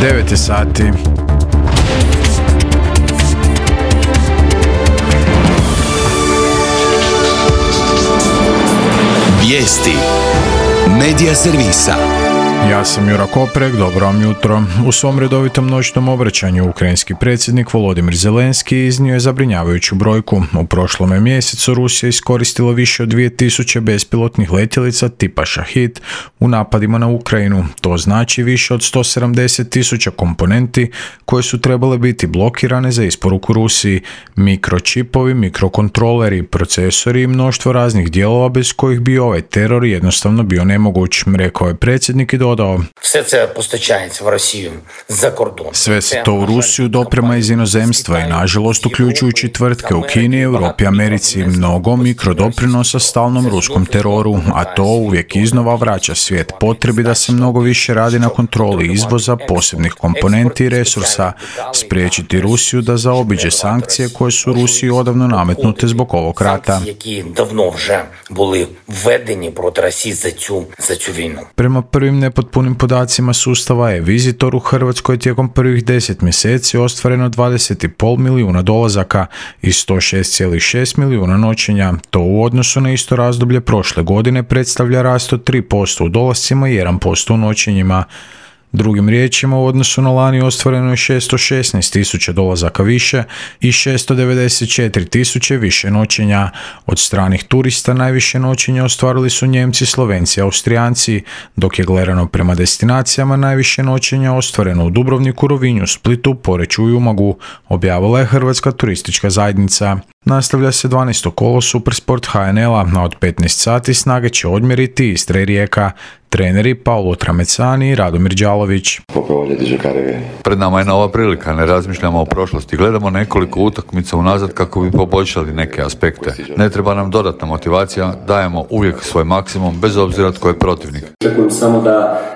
9 je sati. Vijesti Medija servisa. Ja sam Jura Koprek, dobro vam jutro. U svom redovitom noćnom obraćanju ukrajinski predsjednik Volodimir Zelenski iznio je zabrinjavajuću brojku. U prošlome mjesecu Rusija iskoristila više od 2000 bespilotnih letjelica tipa Šahid u napadima na Ukrajinu. To znači više od 170.000 komponenti koje su trebale biti blokirane za isporuku Rusiji. Mikročipovi, mikrokontroleri, procesori i mnoštvo raznih dijelova bez kojih bi ovaj teror jednostavno bio nemoguć, rekao je predsjednik i dodao: sve se to u Rusiju doprema iz inozemstva i nažalost uključujući tvrtke u Kini, Europi i Americi, mnogo mikrodoprinosa stalnom ruskom teroru, a to uvijek iznova vraća svijet potrebi da se mnogo više radi na kontroli izvoza posebnih komponenti i resursa, spriječiti Rusiju da zaobiđe sankcije koje su Rusiji odavno nametnute zbog ovog rata. Prema prvim nepotpunim podacima sustava e-Visitor u Hrvatskoj tijekom prvih 10 mjeseci ostvareno 20,5 milijuna dolazaka i 106,6 milijuna noćenja. To u odnosu na isto razdoblje prošle godine predstavlja rast od 3% u dolascima i 1% u noćenjima. Drugim riječima, u odnosu na lani ostvareno je 616.000 dolazaka više i 694.000 više noćenja. Od stranih turista najviše noćenja ostvarili su Njemci, Slovenci i Austrijanci, dok je gledano prema destinacijama najviše noćenja ostvareno u Dubrovniku, Rovinju, Splitu, Poreču i Umagu, objavila je Hrvatska turistička zajednica. Nastavlja se 12. kolo Supersport HNL-a, a od 15 sati snage će odmjeriti Istra i Rijeka. Treneri Paolo Tramecani i Radomir Đalović. Pred nama je nova prilika, ne razmišljamo o prošlosti, gledamo nekoliko utakmica unazad kako bi poboljšali neke aspekte. Ne treba nam dodatna motivacija, dajemo uvijek svoj maksimum bez obzira tko je protivnik. Očekujem samo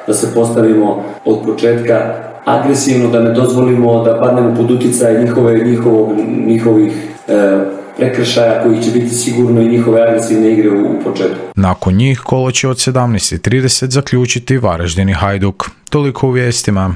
da se postavimo od početka agresivno, da ne dozvolimo da padnemo pod utjecaj njihovih prekršaja koji će biti sigurno i njihove agresivne igre u početku. Nakon njih kolo će od 17:30 zaključiti Varaždin i Hajduk. Toliko u vijestima.